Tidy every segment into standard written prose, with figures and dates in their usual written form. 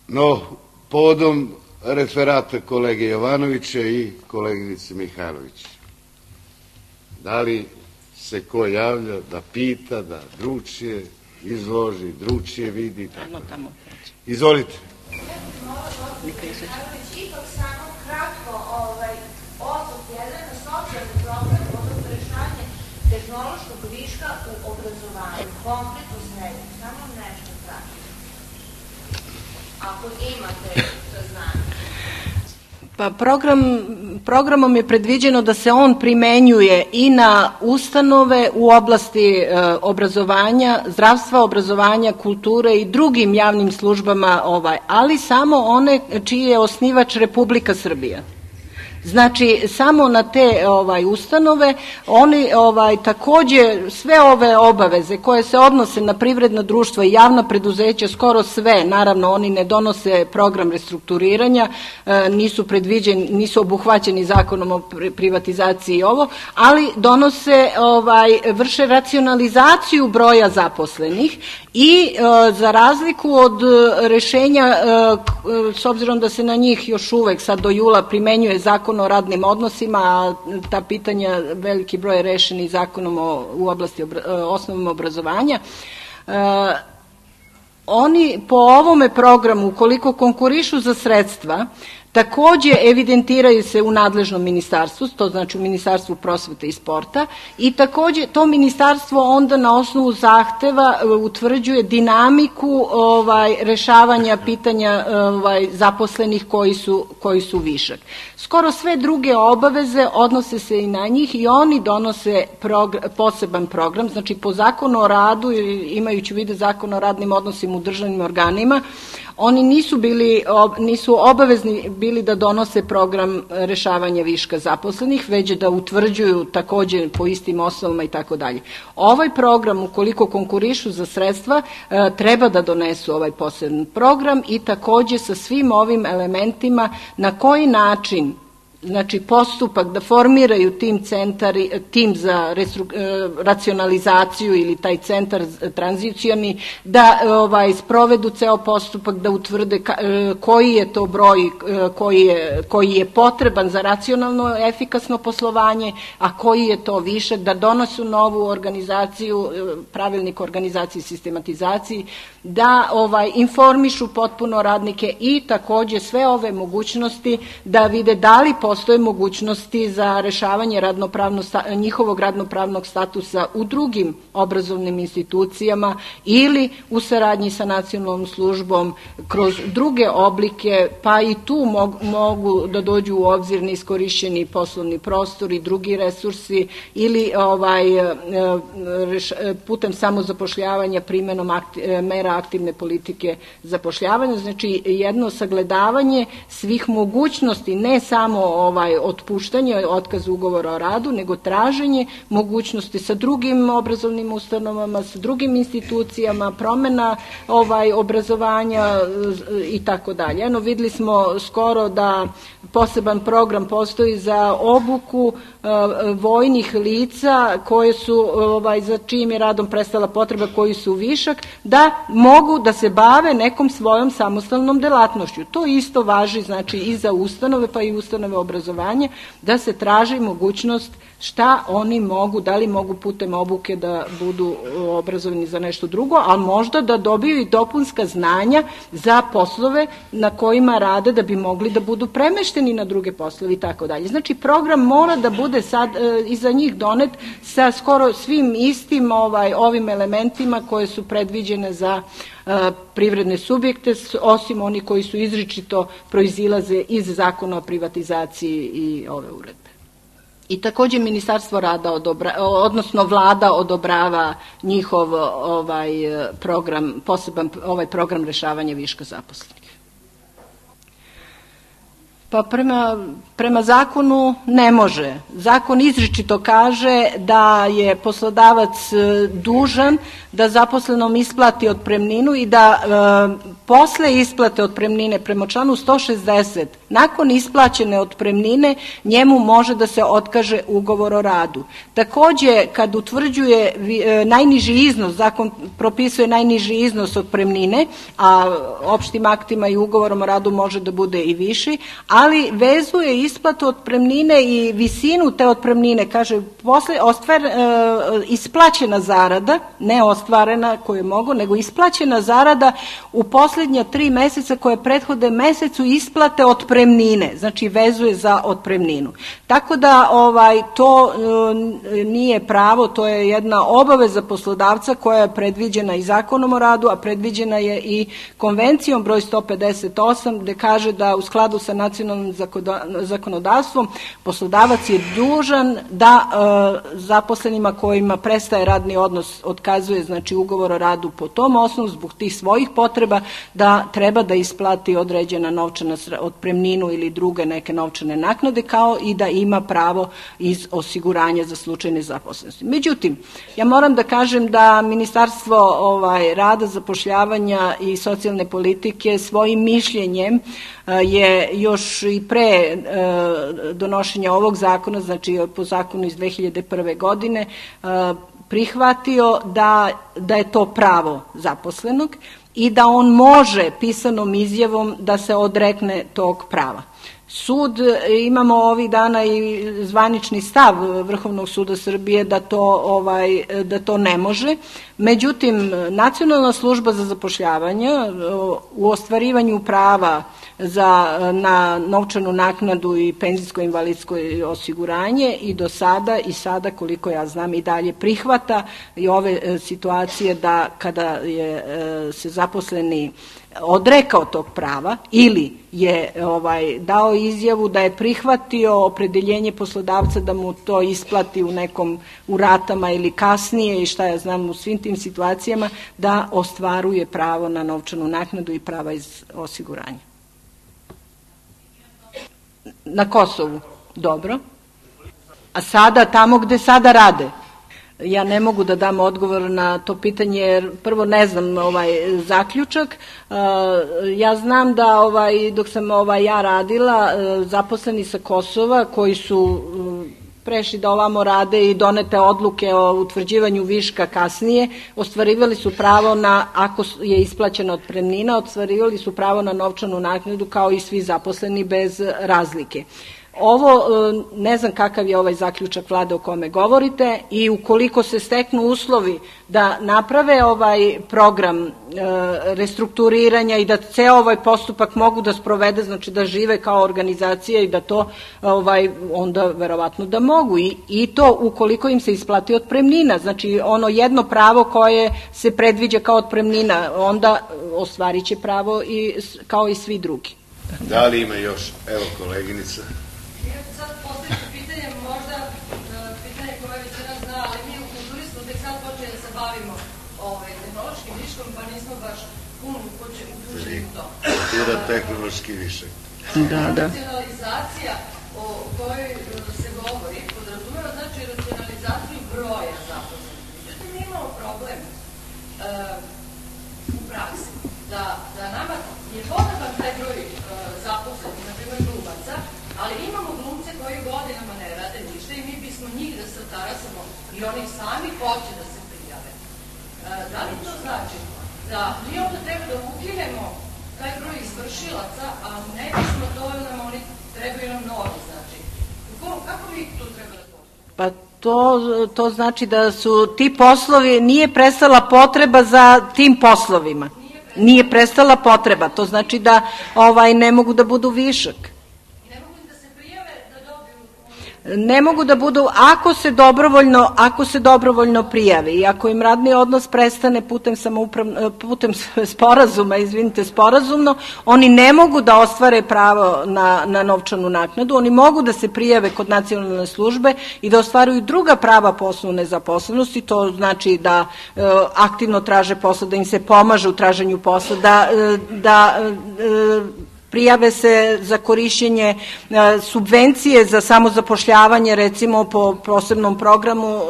No, povodom referata kolege Jovanovića i koleginice Mihajlović, da li se ko javlja da pita, da drugčije izloži, drugčije vidi? Izvolite. Ipak samo kratko osvrt jedan na socijalni problem, odnosno rešavanje tehnološkog viška u obrazovanju, konkretno srednjem, samo nešto kratko. Ako imate saznanje. Pa programom je predviđeno da se on primenjuje i na ustanove u oblasti obrazovanja, zdravstva, obrazovanja, kulture i drugim javnim službama, ali samo one čiji je osnivač Republika Srbija. Znači, samo na te ustanove, oni takođe sve ove obaveze koje se odnose na privredna društva i javna preduzeća, skoro sve, naravno oni ne donose program restrukturiranja, nisu obuhvaćeni zakonom o privatizaciji i ovo, ali donose, vrše racionalizaciju broja zaposlenih i za razliku od rešenja, s obzirom da se na njih još uvek sad do jula primenjuje zakon o radnim odnosima, a ta pitanja veliki broj je rešeni zakonom u oblasti osnovnog obrazovanja, oni po ovome programu, ukoliko konkurišu za sredstva, takođe evidentiraju se u nadležnom ministarstvu, to znači u Ministarstvu prosvete i sporta, i takođe to ministarstvo onda na osnovu zahteva utvrđuje dinamiku rešavanja pitanja zaposlenih koji su višak. Skoro sve druge obaveze odnose se i na njih i oni donose poseban program, znači po zakonu o radu, imajući u vidu zakon o radnim odnosima u državnim organima, oni nisu obavezni bili da donose program rešavanja viška zaposlenih, već da utvrđuju takođe po istim osnovama i tako dalje. Ovaj program, ukoliko konkurišu za sredstva, treba da donesu ovaj poseban program i takođe sa svim ovim elementima na koji način, znači postupak da formiraju tim za racionalizaciju ili taj centar tranzicioni, da sprovedu ceo postupak, da utvrde koji je to broj koji je potreban za racionalno efikasno poslovanje, a koji je to višak, da donosu novu organizaciju, pravilnik o organizaciji i sistematizaciji, da informišu potpuno radnike i takođe sve ove mogućnosti da vide da li postoje mogućnosti za rešavanje njihovog radnopravnog statusa u drugim obrazovnim institucijama ili u saradnji sa nacionalnom službom kroz druge oblike, pa i tu mogu da dođu u obzir neiskorišćeni poslovni prostor i drugi resursi ili putem samozapošljavanja primenom mera aktivne politike zapošljavanja, znači jedno sagledavanje svih mogućnosti, ne samo otpuštanje, otkaz ugovora o radu, nego traženje mogućnosti sa drugim obrazovnim ustanovama, sa drugim institucijama, promena obrazovanja i tako dalje. Videli smo skoro da poseban program postoji za obuku vojnih lica koje su, za čijim je radom prestala potreba, koji su višak, da mogu da se bave nekom svojom samostalnom delatnošću. To isto važi, znači, i za ustanove, pa i ustanove obrazovanja, da se traži mogućnost šta oni mogu, da li mogu putem obuke da budu obrazovani za nešto drugo, ali možda da dobiju i dopunska znanja za poslove na kojima rade, da bi mogli da budu premešteni na druge poslove i tako dalje. Znači, program mora da bude sad i za njih donet sa skoro svim istim ovim elementima koje su predviđene za privredne subjekte, osim oni koji su izričito proizilaze iz zakona o privatizaciji i ove uredbe. I takođe Ministarstvo rada odnosno vlada odobrava njihov program, poseban program rešavanja viška zaposlenih. Pa prema zakonu ne može. Zakon izričito kaže da je poslodavac dužan da zaposlenom isplati otpremninu i da posle isplate otpremnine prema članu 160, nakon isplaćene otpremnine, njemu može da se otkaže ugovor o radu. Takođe, kad utvrđuje najniži iznos, zakon propisuje najniži iznos otpremnine, a opštim aktima i ugovorom o radu može da bude i viši, ali vezuje isplatu otpremnine i visinu te otpremnine, kaže, posle isplaćena zarada, ne ostvarena koju mogu, nego isplaćena zarada u poslednja 3 meseca koje prethode mesecu isplate otpremnine, znači vezuje za otpremninu. Tako da to nije pravo, to je jedna obaveza poslodavca koja je predviđena i zakonom o radu, a predviđena je i konvencijom broj 158, gde kaže da u skladu sa nacionalnim zakonodavstvom poslodavac je dužan da zaposlenima kojima prestaje radni odnos otkazuje, znači, ugovor o radu po tom osnovu zbog tih svojih potreba, da treba da isplati određena novčana otpremninu ili druge neke novčane naknade, kao i da ima pravo iz osiguranja za slučaj nezaposlenosti. Međutim, ja moram da kažem da Ministarstvo rada, zapošljavanja i socijalne politike svojim mišljenjem je još i pre donošenja ovog zakona, znači po zakonu iz 2001. godine, prihvatio da je to pravo zaposlenog i da on može pisanom izjavom da se odrekne tog prava. Sud, imamo ovih dana i zvanični stav Vrhovnog suda Srbije da to ne može. Međutim, Nacionalna služba za zapošljavanje u ostvarivanju prava na novčanu naknadu i penzijsko-invalidsko osiguranje i do sada i sada, koliko ja znam, i dalje prihvata i ove situacije da kada se zaposleni odrekao tog prava ili je dao izjavu da je prihvatio opredeljenje poslodavca da mu to isplati u ratama ili kasnije i šta ja znam, u svim tim situacijama, da ostvaruje pravo na novčanu naknadu i prava iz osiguranja. Na Kosovu, dobro. A sada, tamo gde sada rade, ja ne mogu da dam odgovor na to pitanje jer prvo ne znam zaključak. Ja znam da dok sam ja radila, zaposleni sa Kosova koji su prešli da ovamo rade i donete odluke o utvrđivanju viška kasnije, ostvarivali su pravo na, ako je isplaćena otpremnina, ostvarivali su pravo na novčanu naknadu kao i svi zaposleni bez razlike. Ovo, ne znam kakav je ovaj zaključak vlade o kome govorite i ukoliko se steknu uslovi da naprave ovaj program restrukturiranja i da ceo ovaj postupak mogu da sprovede, znači da žive kao organizacija i da to, onda verovatno da mogu i to ukoliko im se isplati otpremnina, znači ono jedno pravo koje se predviđa kao otpremnina, onda ostvarit će pravo kao i svi drugi. Da li ima još, evo koleginica? Sad postavite pitanje, možda pitanje koje većina zna, ali mi u kulturi smo tek sad počeli da se bavimo tehnološkim viškom, pa nismo baš puno uključeni u to. Kultura tehnološki višak. Racionalizacija o kojoj se govori podrazumeva, znači racionalizaciju broja zaposlenih. Međutim, mi imamo problem u praksi da nama je potreban taj broj zaposlenih, na primjer glumaca, ali imamo glumce koji godinama ne rade ništa i mi bismo njih da se otarasamo i oni sami hoće da se prijave. Da li to znači da mi onda treba da ukinemo taj broj izvršilaca, a ne bismo dovoljno nam oni trebaju nam novi, znači. Kako mi to treba da postupimo? Pa to znači da su ti poslovi, nije prestala potreba za tim poslovima. Nije prestala potreba, to znači da ne mogu da budu višak. Ne mogu da budu, ako se dobrovoljno prijave i ako im radni odnos prestane putem sporazumno, oni ne mogu da ostvare pravo na novčanu naknadu, oni mogu da se prijave kod nacionalne službe i da ostvaruju druga prava po osnovu nezaposlenosti, to znači da aktivno traže posao, da im se pomaže u traženju posla, da prijave se za korišćenje subvencije za samozapošljavanje, recimo po posebnom programu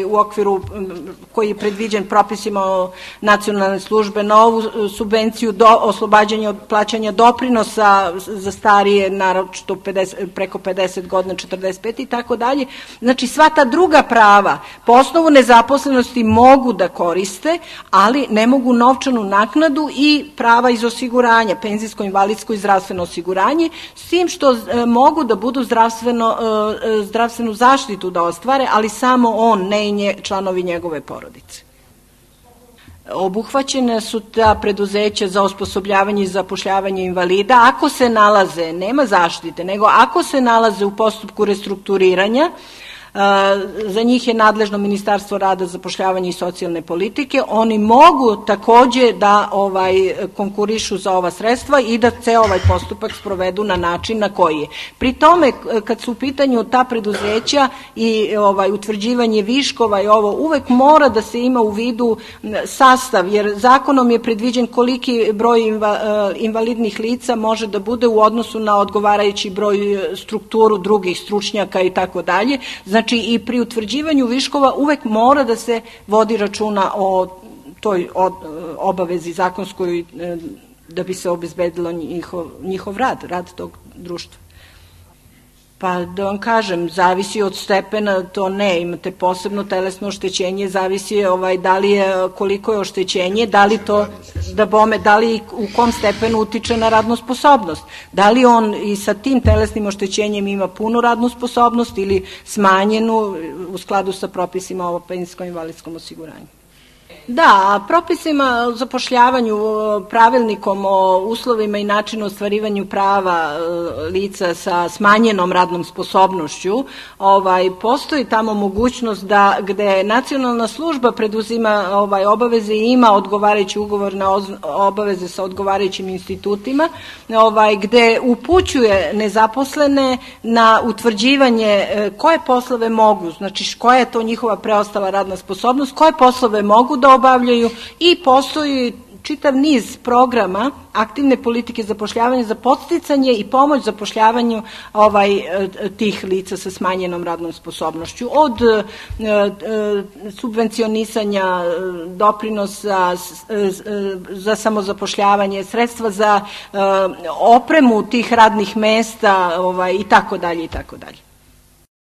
u okviru koji je predviđen propisima o nacionalne službe, na ovu subvenciju oslobađanja od plaćanja doprinosa za starije, naročito preko 50 godina, 45 i tako dalje. Znači sva ta druga prava po osnovu nezaposlenosti mogu da koriste, ali ne mogu novčanu naknadu i prava iz osiguranja, penzijsko, invalidsko i zdravstveno osiguranje, s tim što mogu da budu zdravstvenu zaštitu da ostvare, ali samo on, ne i članovi njegove porodice. Obuhvaćene su ta preduzeća za osposobljavanje i zapošljavanje invalida ako se nalaze, nema zaštite, nego ako se nalaze u postupku restrukturiranja. Za njih je nadležno Ministarstvo rada, zapošljavanja i socijalne politike. Oni mogu takođe da konkurišu za ova sredstva i da ceo ovaj postupak sprovedu na način na koji je. Pri tome, kad su u pitanju ta preduzeća i utvrđivanje viškova i ovo, uvek mora da se ima u vidu sastav, jer zakonom je predviđen koliki broj invalidnih lica može da bude u odnosu na odgovarajući broj strukturu drugih stručnjaka i tako dalje. Znači i pri utvrđivanju viškova uvek mora da se vodi računa o toj obavezi zakonskoj da bi se obezbedilo njihov rad tog društva. Pa da vam kažem, zavisi od stepena, to ne, imate posebno telesno oštećenje, zavisi da li je, koliko je oštećenje, da li to, da li u kom stepenu utiče na radnu sposobnost, da li on i sa tim telesnim oštećenjem ima punu radnu sposobnost ili smanjenu u skladu sa propisima o penzijskom invalidskom osiguranju. Da, propisima o zapošljavanju, pravilnikom o uslovima i načinu ostvarivanju prava lica sa smanjenom radnom sposobnošću, postoji tamo mogućnost da gde nacionalna služba preduzima obaveze i ima odgovarajući ugovor na obaveze sa odgovarajućim institutima, gde upućuje nezaposlene na utvrđivanje koje poslove mogu, znači koja je to njihova preostala radna sposobnost, koje poslove mogu da obavljaju i postoji čitav niz programa aktivne politike zapošljavanja za podsticanje i pomoć zapošljavanju tih lica sa smanjenom radnom sposobnošću, od subvencionisanja doprinosa za samozapošljavanje, sredstva za opremu tih radnih mesta i tako dalje i tako dalje.